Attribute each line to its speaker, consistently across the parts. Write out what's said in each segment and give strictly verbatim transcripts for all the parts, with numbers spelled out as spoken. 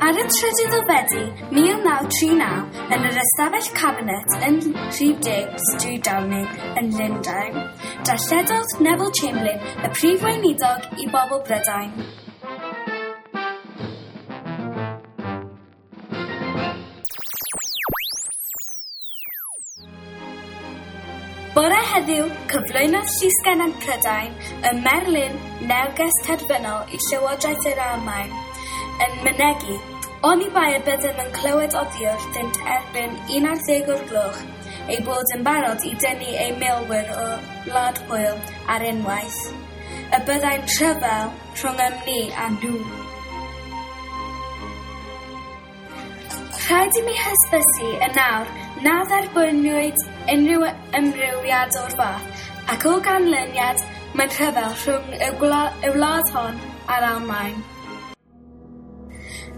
Speaker 1: Ar y trydydd o Fedi mil naw tri naw, yn yr ystafell cabinet yn rhif deg Stryd Downing yn Llundain, darlledodd Neville Chamberlain y prif weinidog i bobl Brydain. Bore heddiw, cyflwynodd Llysgennad Prydain y Merlin neges terfynol i Llywodraeth yr Almaen yn mynegi, oni bai y byddem yn clywed oddi wrthynt erbyn un ar ddeg o'r gloch, ei bod yn barod i dynnu ei milwyr o Wlad Pwyl ar unwaith, y byddai'n rhyfel rhwng ym ni a nhw. Rhaid i mi hysbysu yn awr na dderbyniwyd unrhyw ymrwymiad o'r fath, ac o ganlyniad mae'n rhyfel rhwng y gwla-, y wlad hon a'r Almaen.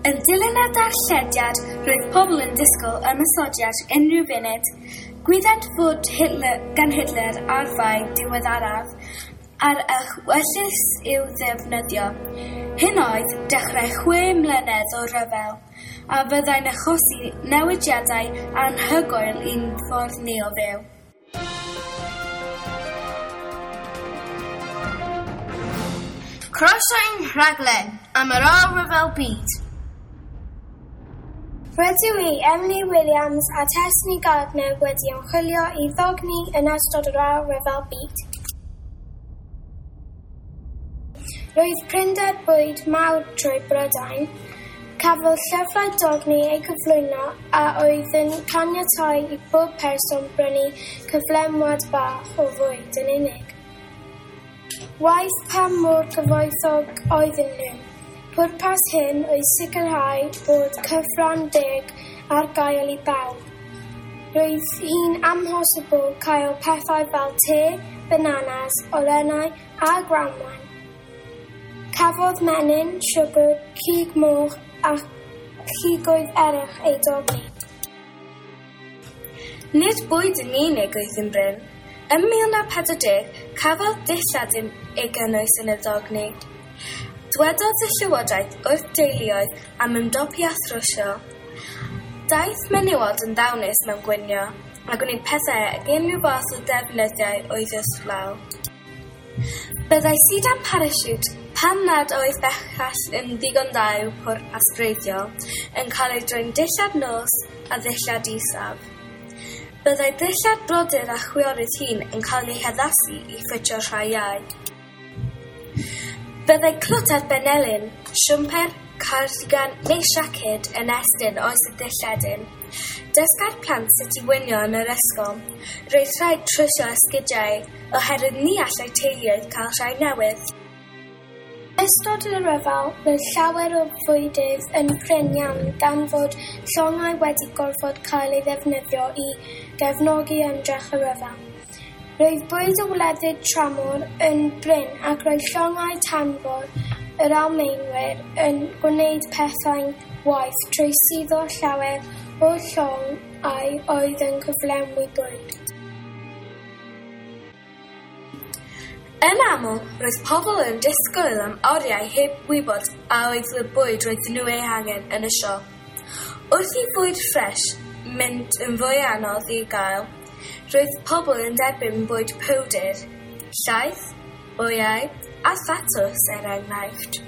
Speaker 1: Yn dilyn y darllediad, roedd pobl yn disgwyl ymosodiad unrhyw funud. Gwyddent fod Hitler, gan Hitler arfau diweddaraf ar y ewyllys i'w ddefnyddio. Hyn oedd dechrau chwe mlynedd o ryfel, a fyddai'n achosi newidiadau anhygoel i'n ffordd ni o fyw.
Speaker 2: Croeso i'n rhaglen am yr Ail Ryfel Byd.
Speaker 3: Rydw i, Emily Williams a Tesni Gardner wedi ymchwilio i ddogni yn ystod yr Ail Ryfel Byd. Roedd prinder bwyd mawr trwy Brydain. Cafodd llyfrau dogni eu cyflwyno a oedd yn caniatáu i bob person brynu cyflenwad bach o fwyd yn unig. Waeth pa mor gyfoethog oedden nhw, pwrpas hyn oedd sicrhau bod cyfran deg ar gael i bawb. Roedd hi'n amhosibl cael pethau fel te, bananas, olennau a grawnwin. Cafodd menyn, siwgr, cig moch a cigoedd eraill eu dogni.
Speaker 1: Nid bwyd yn unig oedd yn brin. Ym mil naw pedwar deg, cafodd dillad ei gynnwys yn y ddogni. Dwedodd y Llywodraeth wrth deuluoedd am ymdopi â thrwsio. Daeth menywod yn ddawnus mewn gwinio, a gwneud pethau ag unrhyw fath o ddefnyddiau oedd wrth law. Byddai sidan parasiwt, pan nad oedd bellach yn ddigon dda i'w pwrpas gwreiddiol, yn cael ei droi'n dillad nos a ddillad isaf. Byddai dillad brodyr a chwiorydd hŷn yn cael eu haddasu i ffitio rhai iau. Byddai clwt ar benelin, siwmper, cardigan neu siaced yn estyn oes y dilledyn. Dysgai'r plant sut i winio yn yr ysgol. Roedd rhaid trwsio esgidiau oherwydd ni allai teuluoedd cael rhai newydd.
Speaker 3: Yn ystod y rhyfel, roedd llawer o fwydydd yn prin iawn gan fod llongau wedi gorfod cael ei ddefnyddio i gefnogi ymdrech y rhyfel. Roedd bwyd o wledydd tramor yn brin ac roedd llongau tanfor yr Almaenwyr yn gwneud pethau'n waeth trwy suddo llawer o'r llongau oedd yn cyflenwi bwyd.
Speaker 1: Yn aml, roedd pobl yn disgwyl am oriau heb wybod a oedd y bwyd roedden nhw ei hangen yn y siop. Wrth i fwyd ffres mynd yn fwy anodd i gael, roedd pobl yn derbyn bwyd powdr, llaeth, wyau a thatws er enghraifft.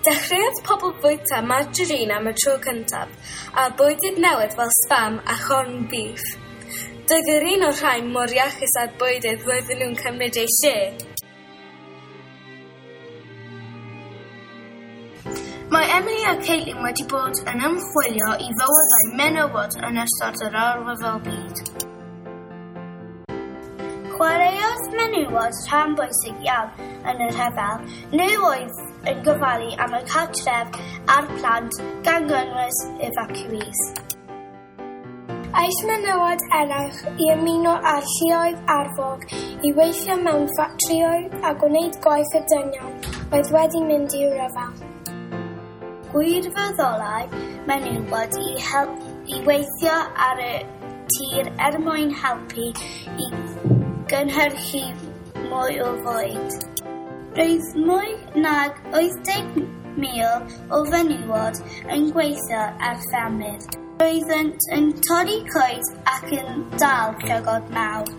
Speaker 1: Dechreuodd pobl fwyta margarine am y tro cyntaf, a bwydydd newydd fel spam a corned beef. Doedd yr un o'r rhain mor iachus â'r bwydydd roedden nhw'n cymryd eu lle.
Speaker 2: Mae Emily a Caitlin wedi bod yn ymchwilio i fywydau menywod yn ystod yr Ail Ryfel Byd.
Speaker 4: Chwaraeodd menywod rhan bwysig iawn yn y rhyfel. Nhw oedd yn gofalu am y cartref a'r plant, gan gynnwys evacuees.
Speaker 3: Aeth menywod eraill i ymuno â'r lluoedd arfog i weithio mewn ffatrïoedd a gwneud gwaith y dynion oedd wedi mynd i'r rhyfel.
Speaker 4: Gwirfoddolai menywod i, help, i weithio ar y tir er mwyn helpu i gynhyrchu mwy o fwyd. Roedd mwy nag wyth deg mil o fenywod yn gweithio ar ffermydd. Roeddent yn torri coed ac yn dal llygod mawr.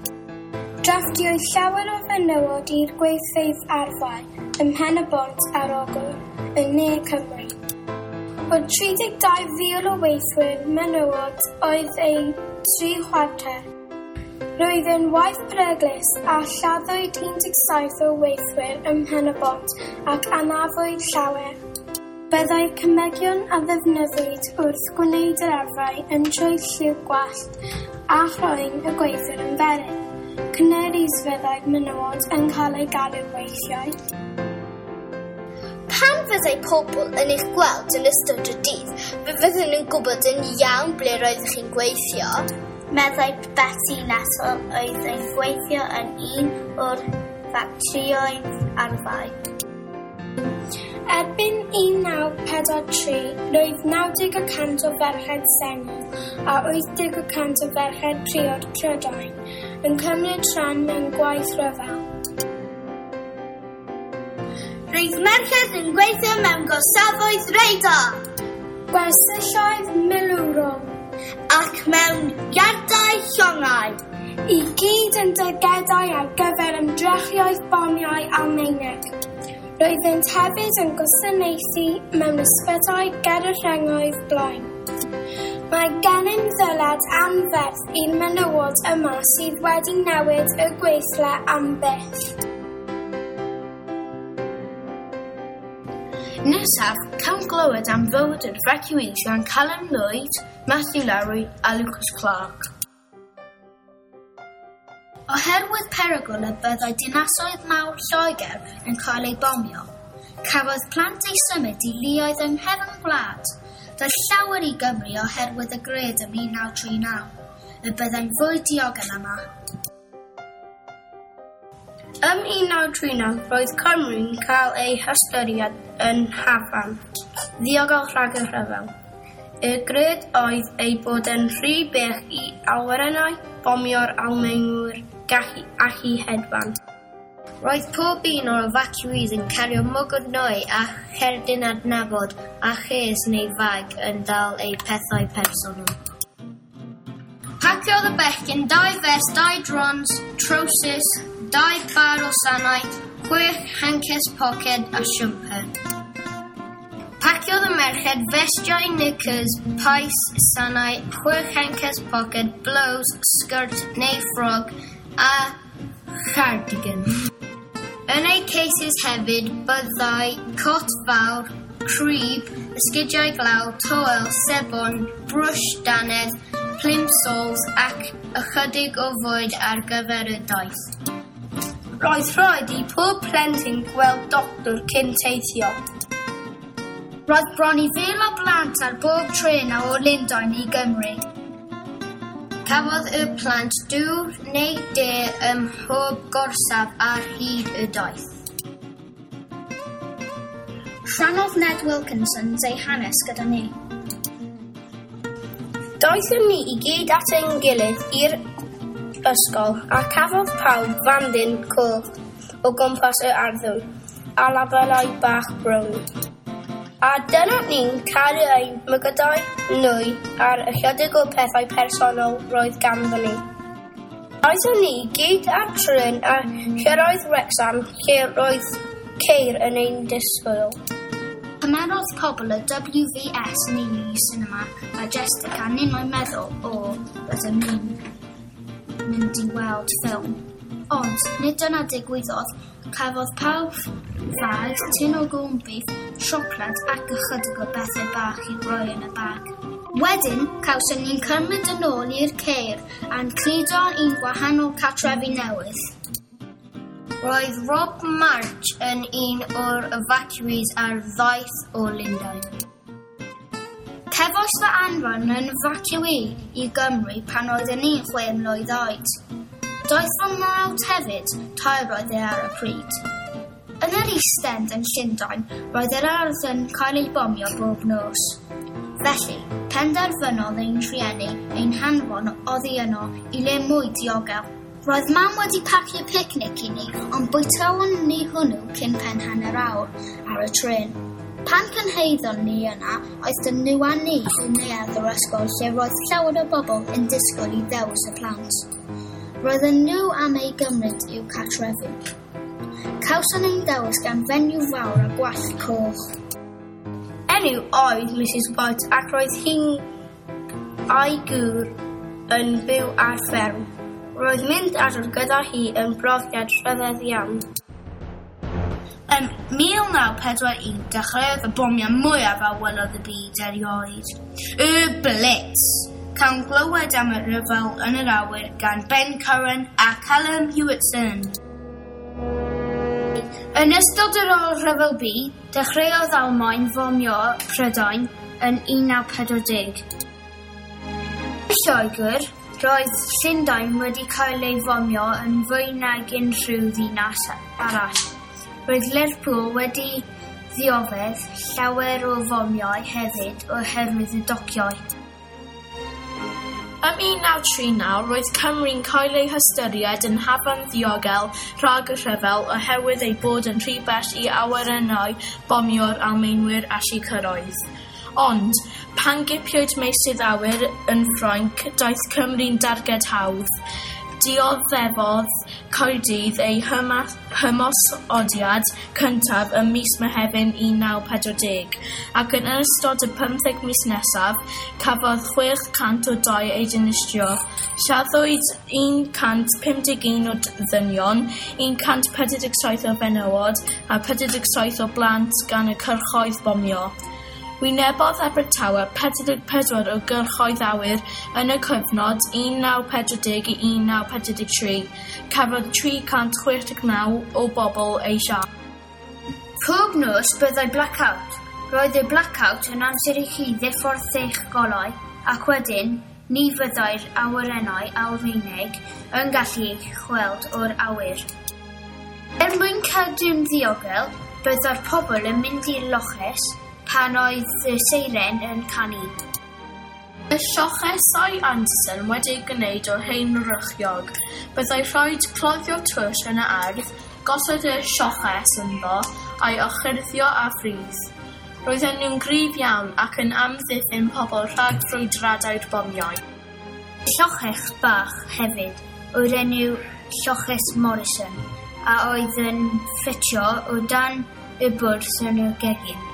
Speaker 3: Drafftiwyd llawer o fenywod i'r gweithfeydd arfau ym Mhen-y-bont ar Ogwr, yn Ne Cymru. O'r tri deg dau fil o weithwyr menywod oedd eu tri chwarter. Roedd yn waith peryglus a lladdwyd un deg saith o weithwyr ym Mhen-y-bont ac anafwyd llawer. Byddai cemegion a ddefnyddiwyd wrth gwneud yr arfau yn troi lliw gwallt a chroen y gweithwyr yn felyn. Canaries fyddai menywod yn cael eu galw weithiau.
Speaker 4: Pan fyddai pobl yn eich gweld yn ystod y dydd, fe fydden nhw'n gwybod yn iawn ble roeddech chi'n gweithio. Meddai Betty Nettle oedd yn gweithio yn un o'r ffatrïoedd arfau.
Speaker 3: Erbyn un naw pedwar tri, roedd naw deg y cant o ferched sengl a wyth deg y cant o ferched priod Prydain yn cymryd rhan mewn gwaith rhyfel.
Speaker 4: Roedd merched yn gweithio mewn gorsafoedd radar,
Speaker 3: gwersylloedd milwrol
Speaker 4: ac mewn iardau llongau,
Speaker 3: i gyd yn dargedau ar gyfer ymdrechion bomiau Almaeneg. Roeddent hefyd yn gwasanaethu mewn ysbytai ger y rhengoedd blaen. Mae gennym ddyled anferth i'r menywod yma sydd wedi newid y gweithle am byth.
Speaker 2: Nesaf, cawn glywed am fywyd yr evacuees gan Callum Lloyd, Matthew Lowry a Lucas Clark. Oherwydd perygl y byddai dinasoedd mawr Lloegr yn cael eu bomio, cafodd plant eu symud i leoedd yng nghefn gwlad. Daeth llawer i Gymru oherwydd y gred ym mil naw tri naw, y byddai'n fwy diogel yma.
Speaker 5: Ym un naw tri naw, roedd Cymru'n cael ei hystyried yn hafan, ddiogel rhag y rhyfel. Y gred oedd ei bod yn rhy bell i awyrennau bomio'r Almaenwyr gallu allu hedfan.
Speaker 6: Roedd pob un o'r evacuees yn cario mwgwd nwy a cherdyn adnabod a chês neu fag yn dal eu pethau personol.
Speaker 2: Paciodd y bechgyn dau fest, dau drons, trowsus, dau bar o sanau, chwech hances poced a siwmper. Paciodd y merched festiau, knickers, pais, sanau, chwech hances poced, blouse, sgert neu ffrog a chardigan. Yn eu cases hefyd byddai cot fawr, crib, esgidiau glaw, towel, sebon, brwsh dannedd, plimsolls ac ychydig o fwyd ar gyfer y daith.
Speaker 5: Roedd rhaid i pob plentyn gweld doctor cyn teithio.
Speaker 2: Roedd bron i fil o blant ar bob trên o Lundain i Gymru.
Speaker 6: Cafodd y plant dŵr neu de ym mhob gorsaf ar hyd y daith.
Speaker 2: Rhannodd Ned Wilkinson ei hanes gyda ni.
Speaker 5: Daethon ni i gyd at ein gilydd i'r ysgol a cafodd pawb fandyn coch o gwmpas yr arddwrn a labelau bach brown. A dyna ni'n cario ein mygydau nwy ar ychydig o pethau personol roedd ganddo ni. Aethon ni gyd ar trên a chyrraedd Wrexham lle roedd ceir yn ein disgwyl.
Speaker 2: Cymerodd pobl y W V S ni i sinema Majestic a ninnau'n meddwl, o, rydym ni'n mynd i weld ffilm. Ond, nid dyna digwyddodd, cafodd pawb fag, tin o corned beef, siocled ac ychydig o bethau bach i roi yn y bag. Wedyn, cawson ni'n cymryd yn ôl i'r ceir a'n cludo i'n gwahanol cartrefi newydd.
Speaker 6: Roedd Rob March yn un o'r evacuees ar ddaeth o Lundain.
Speaker 2: Cefais fy anfon yn evacuee i Gymru pan oeddwn i'n chwe mlwydd oed. Daeth fy mrawd hefyd, tair oedd e ar y pryd. Yn yr East End yn Llundain, roedd yr ardd yn cael ei bomio bob nos. Felly, penderfynodd ein rhieni ein hanfon oddi yno i le mwy diogel. Roedd mam wedi pacio picnic i ni, ond bwytaon ni hwnnw cyn pen hanner awr ar y trên.
Speaker 4: Pan cyrhaeddon ni yna, aethon nhw â ni i neuadd yr ysgol lle roedd llawer o bobl yn disgwyl i ddewis y plant. Roedden nhw am eu gymryd i'w cartrefi. Cawson ein dewis gan fenyw fawr a gwallt coch.
Speaker 5: Enw oedd Mrs White ac roedd hi'n a'i gŵr yn byw ar fferm. Roedd mynd adref gyda hi yn brofiad rhyfedd iawn.
Speaker 1: Ym mil naw pedwar un, dechreuodd y bomiau mwyaf a welodd y byd erioed. Y Blitz! Cawn glywed am y rhyfel yn yr awyr gan Ben Curran a Callum Hewitson.
Speaker 2: Yn ystod yr Ail Rhyfel Byd, dechreuodd Almaen fomio Prydain yn un naw pedwar deg. Yn Lloegr, roedd Llundain wedi cael ei fomio yn fwy nag unrhyw ddinas arall. Roedd Lerpwl wedi ddioddef llawer o fomiau hefyd oherwydd y dociau.
Speaker 1: Ym un naw tri naw, roedd Cymru'n cael ei hystyried yn hafan ddiogel rhag y rhyfel oherwydd ei bod yn rhy bell i awyrennau bomio'r Almaenwyr allu cyrraedd. Ond, pan gipiwyd meysydd awyr yn Ffrainc, daeth Cymru'n darged hawdd. Dioddefodd Caerdydd ei hymosodiad cyntaf ym mis Mehefin un naw pedwar deg, ac yn ystod y pymtheg mis nesaf, cafodd chwech cant o dai eu dinistrio. Lladdwyd un cant pum deg un o ddynion, un cant pedwar deg saith o fenywod a pedwar deg saith o blant gan y cyrchoedd bomio. Wynebodd Abertawe pedwar deg pedwar o gyrchoedd awyr yn y cyfnod un naw pedwar deg i un naw pedwar deg tri. Cafodd tri cant chwech deg naw o bobl eu lladd.
Speaker 2: Pob nos byddai blackout. Roedd y blackout yn amser i chi ddiffordd eich golau ac wedyn ni fyddai'r awyrennau Almaeneg yn gallu eich gweld o'r awyr. Er mwyn cadw'n ddiogel, byddai'r pobl yn mynd i'r loches pan oedd y seiren yn canu.
Speaker 1: Y llochesau Anderson wedi'u gwneud o hen rychiog. Byddai rhaid cloddio twll yn y ardd, gosod y lloches ynddo a'i orchuddio â phridd. Roedden nhw'n gryf iawn ac yn amddiffyn pobl rhag ffrwydradau'r bomiau.
Speaker 2: Lloches bach hefyd o'r enw Lloches Morrison a oedd yn ffitio o dan y bwrdd yn y gegin.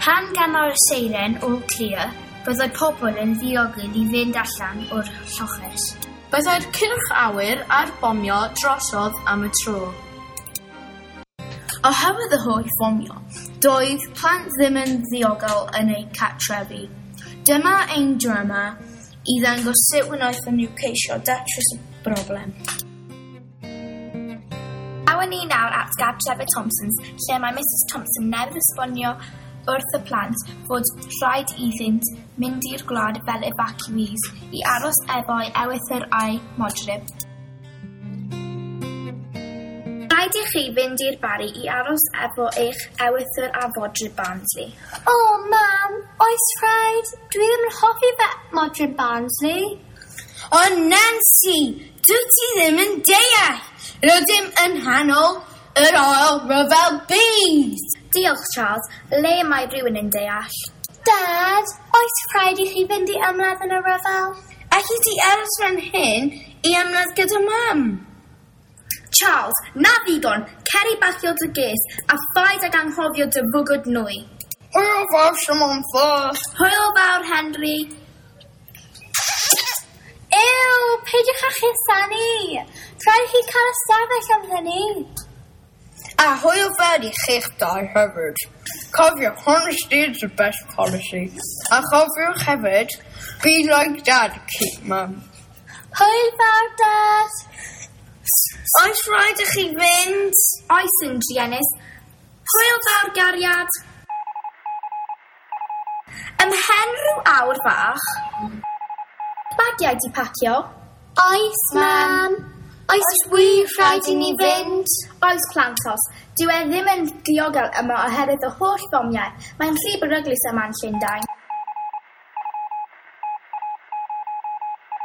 Speaker 2: Pan ganodd y seiren all clear, byddai pobl yn ddiogel i fynd allan o'r lloches.
Speaker 1: Byddai'r cyrch awyr a'r bomio drosodd am y tro.
Speaker 7: Oherwydd y holl fomio, doedd plant ddim yn ddiogel yn eu cartrefi. Dyma ein drama i ddangos sut wnaethon nhw ceisio datrys y broblem.
Speaker 1: Awn ni nawr at gartref y Thompsons, lle mae Mrs Thompson newydd esbonio wrth y plant fod rhaid iddynt mynd i'r gwlad fel evacuees i aros efo'i ewythr a'i modryb. Rhaid i chi fynd i'r Barri i aros efo eich ewythr a fodryb Barnsley.
Speaker 4: O, mam, oes rhaid? Dwi ddim yn hoffi fe modryb Barnsley.
Speaker 7: O, Nancy, dwi ti ddim yn deall. Rydym yn nghanol yr Ail Ryfel Byd.
Speaker 1: Diolch, Charles. Le mae rhywun yn deall?
Speaker 4: Dad, oes rhaid i chi fynd i ymladd yn y rhyfel?
Speaker 7: Alli ti aros fan hyn i ymladd gyda mam?
Speaker 1: Charles, na ddigon, cer i bacio dy ges a phaid ag anghofio dy fwgwd nwy.
Speaker 7: Hwyl fawr, Samantha.
Speaker 1: Hwyl fawr, Henry.
Speaker 4: Ew, peidiwch â chusanu. Rhaid i chi cael ystafell am hynny.
Speaker 7: A hwyl fawr i chi'ch dau hefyd. Cofiwch, honesty is the best policy. A chofiwch hefyd, be like Dad, keep mum.
Speaker 4: Hwyl fawr, Dad.
Speaker 7: Oes rhaid i chi fynd?
Speaker 1: Oes yn druenus. Hwyl fawr, gariad. Ymhen rhyw awr fach, bagiau di pacio?
Speaker 4: Oes, mam. Oes wir rhaid i ni fynd?
Speaker 1: Oes, plantos. Dyw e ddim yn diogel yma oherwydd y holl bomiau. Mae'n rhy beryglus yma yn Llundain.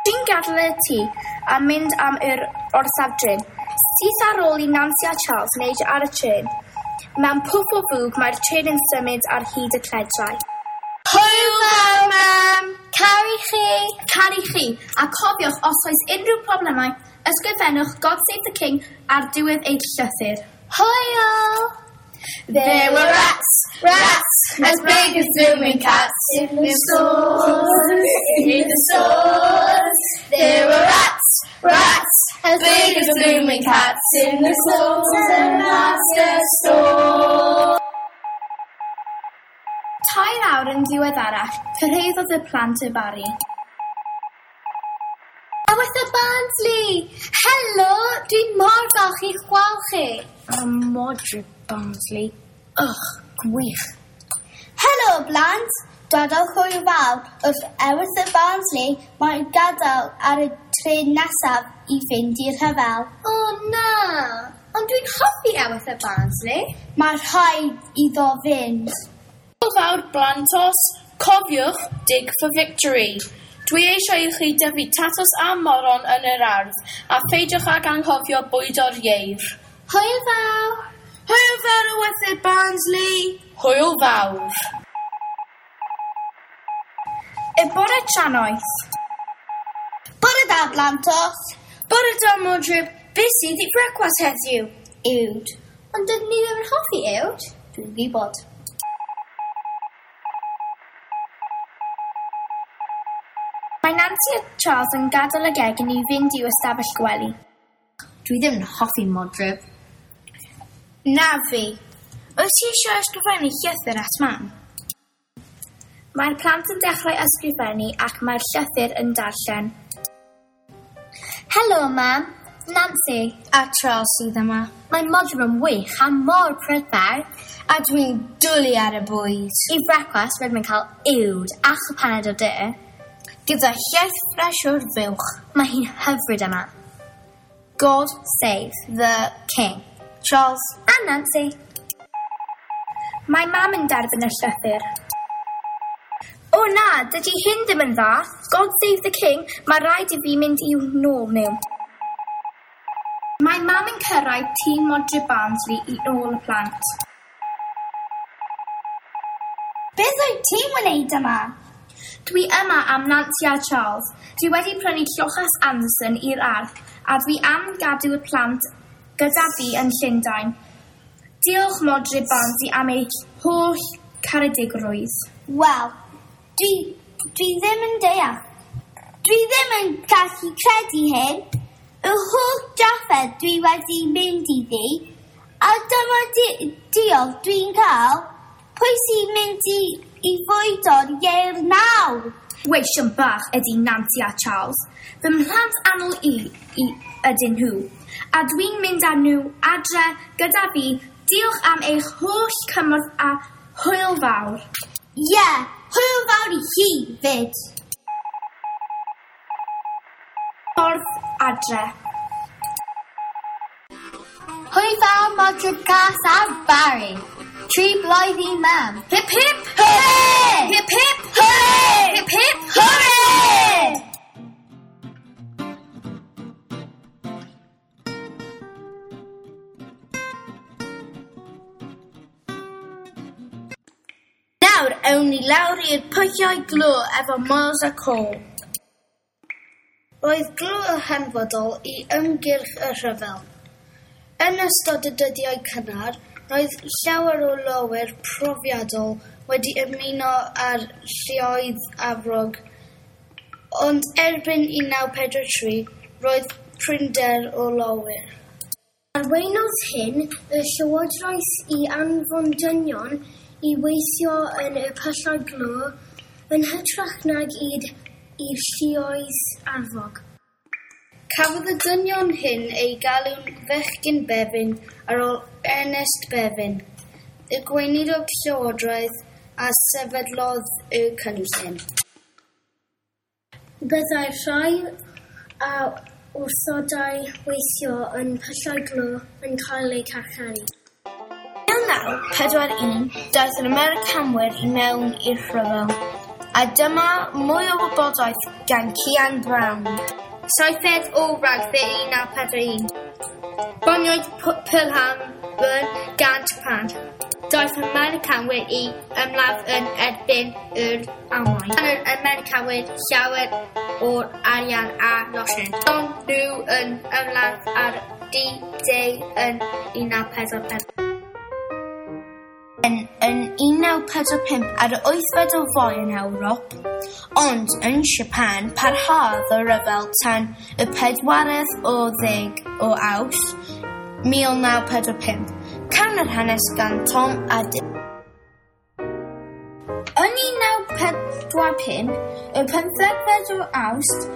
Speaker 1: Dwi'n gadael y tŷ a mynd am yr orsaf dren. Syth ar ôl i Nancy a Charles wneud ar y trên.
Speaker 3: Mewn pwff o fwg mae'r trên yn symud ar hyd y cledrau.
Speaker 5: Hwyl fawr, mam!
Speaker 4: Caru chi!
Speaker 7: Caru chi! A cofiwch, os oes unrhyw problemau, ysgrifennwch God Save the King ar diwedd eich llythyr.
Speaker 4: Hwyl!
Speaker 5: There were rats, rats, as big as blooming cats in the stores, in the stores. There were rats, rats, as big as blooming cats in the slaughtermaster store.
Speaker 7: Tair awr yn ddiweddarach, cyrhaeddodd y plant y Barri.
Speaker 4: Ewyrth Barnsley! Helo! Dwi'n mor falch i'ch gweld chi.
Speaker 5: A Modryb Barnsley. Ugh, gwych.
Speaker 4: Helo, blant! Dodol hwyl fawr wrth Ewyrth Barnsley mae'n gadael ar y trên nesaf i fynd i'r rhyfel. O na! Ond dwi'n hoffi Ewyrth Barnsley. Mae rhaid iddo fynd.
Speaker 7: Hwyl fawr blantos, cofiwch, dig for victory. Dwi eisiau i chi dyfu tatws a moron yn yr ardd, a pheidiwch ag anghofio bwydo'r ieir.
Speaker 4: Hwyl fawr!
Speaker 5: Hwyl fawr Ewyrth Barnsley!
Speaker 7: Hwyl fawr! Y bore trannoeth.
Speaker 4: Bore da, blantos!
Speaker 5: Bore da, Modryb. Beth sydd i brecwast heddiw?
Speaker 4: Uwd. Ond dydyn ni ddim yn hoffi uwd. Dwi'n gwybod.
Speaker 3: Mae Nancy a Charles yn gadael y gegin i fynd i'w ystafell gwely.
Speaker 2: Dwi ddim yn hoffi Modryb.
Speaker 5: Na fi. Wyt ti eisiau ysgrifennu llythyr at mam?
Speaker 3: Mae'r plant yn dechrau ysgrifennu ac mae'r llythyr yn darllen.
Speaker 4: Helo, mam. Nancy.
Speaker 5: A Charles sydd yma.
Speaker 4: Mae Modryb yn wych a mor prydferth.
Speaker 5: A dwi'n dwlu ar y bwyd.
Speaker 4: I brecwast rydym yn cael uwd a chwpaned o de.
Speaker 5: Gyda llaeth ffres o'r fuwch.
Speaker 4: Mae hi'n hyfryd yma.
Speaker 5: God
Speaker 4: Save
Speaker 5: the
Speaker 4: King.
Speaker 5: Charles.
Speaker 4: A Nancy.
Speaker 3: Mae mam yn derbyn y llythyr. O na, dydy hyn ddim yn dda. God save the king, mae rhaid i fi mynd i'w nôl nhw. Mae mam yn cyrraedd tŷ Modryb Barnsley i ôl y plant.
Speaker 4: Beth wyt ti'n wneud yma?
Speaker 3: Dwi yma am Nancy a Charles. Dwi wedi prynu lloches Anderson i'r ardd a dwi am gadw y plant gyda fi yn Llundain. Diolch Modryb Barnsley am eich holl caredigrwydd.
Speaker 4: Wel, dwi, dwi ddim yn deall. Dwi ddim yn gallu credu hyn. Y holl drafferth dwi wedi mynd iddi, a dyma di diolch dwi'n cael. Pwy sy'n mynd i, i fwydo'r ieir nawr?
Speaker 3: Weision bach ydy Nancy a Charles. Fy mhlant annwyl i, i ydyn nhw. A dwi'n mynd â nhw adre gyda fi. Diolch am eich holl cymorth a hwyl fawr.
Speaker 4: Ie, yeah, hwyl fawr i chi fyd.
Speaker 3: Ffordd adre.
Speaker 4: Hwyl fawr Modryb Cas a Barry. Tri blwydd i mam.
Speaker 7: Hip hip!
Speaker 4: Hooray!
Speaker 7: Hip hip!
Speaker 4: Hooray!
Speaker 7: Hip hip!
Speaker 4: Hooray!
Speaker 5: Nawr awn ni lawr i'r pwllau glo efo Miles a Cole.
Speaker 2: Roedd glo yn hanfodol i ymgyrch y rhyfel. Yn ystod y dyddiau cynnar, roedd llawer o lowyr profiadol wedi ymuno â'r lluoedd arfog, ond erbyn un naw pedwar tri roedd prinder o lowyr.
Speaker 6: Arweinodd hyn y llywodraeth i anfon dynion i weithio yn y pyllau glo yn hytrach nag i'r i'r lluoedd arfog.
Speaker 2: Cafodd y dynion hyn eu galw'n fechgyn Bevin ar ôl Ernest Bevin, y gweinidog llywodraeth a sefydlodd y cynllun.
Speaker 6: Byddai'r rhai a wrthodai weithio yn pyllau glo yn cael eu carcharu.
Speaker 5: mil naw pedwar un daeth yr Americanwyr i mewn i'r rhyfel, a dyma mwy o wybodaeth gan Cian Brown.
Speaker 2: Saithfed o Ragfyr un naw pedwar un. Bomiwyd Pearl
Speaker 4: Alban gan Japan. Daeth Americanwyr i ymladd yn erbyn yr Almaen. Gan yr Americanwyr llawer o'r arian a losin. Ond nhw yn ymladd ar D-Day yn un naw pedwar pedwar.
Speaker 7: Yn, yn un naw pedwar pump ar y wythfed o Fai yn Ewrop, ond yn Japan parhaodd y rhyfel tan y pedwaredd o ddeg o Awst mil naw pedwar pump. Can yr hanes gan Tom a Dick.
Speaker 4: Yn un naw pedwar pump, y pymthegfed o Awst,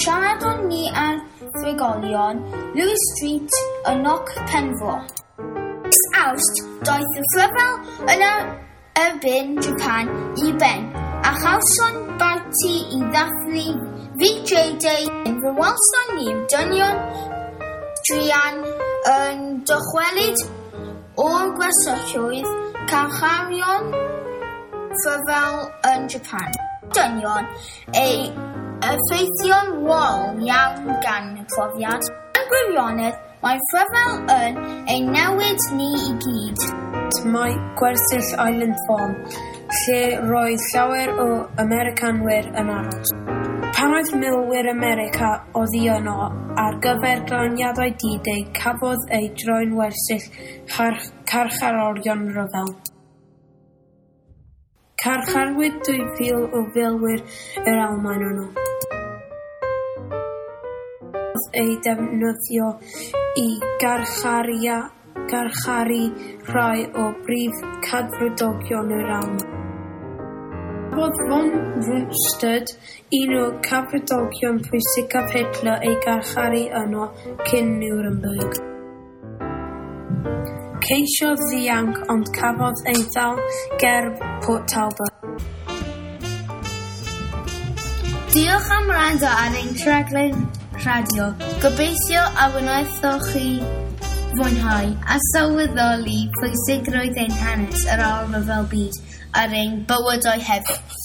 Speaker 4: siaradon ni ar thrigolion Lewis Street yn Noc Penfro. Mis Awst, daeth y rhyfel yn erbyn Japan i ben, a chawson barti i ddathlu V J Day. Fe welson ni'r dynion druan yn dychwelyd o'r gwersylloedd carcharion rhyfel yn Japan. Dynion ei effeithio'n wael iawn gan y profiad. Yn gwirionedd, mae rhyfel yn ei newid ni i gyd.
Speaker 8: Mae gwersyll Island Farm, lle roedd llawer o Americanwyr yn aros. Pan oedd milwyr America oddi yno ar gyfer glaniadau D-Day, cafodd ei droi'n wersyll carcharorion rhyfel. Carcharwyd dwy fil o filwyr yr Almaen yno. Ei defnyddio i garcharia, garcharu rhai o brif cadfridogion yr Almaen. Cafodd von Rundstedt, un o cadfridogion pwysicaf Hitler, ei garcharu yno cyn Nuremberg. Ceisiodd ddianc ond cafodd ei ddal ger Port Talbot.
Speaker 7: Diolch am wrando ar ein rhaglen radio. Gobeithio a wnaethoch chi fwynhau a sylweddoli pwysigrwydd ein hanes ar ôl rhyfel byd ar ein bywydau hefyd.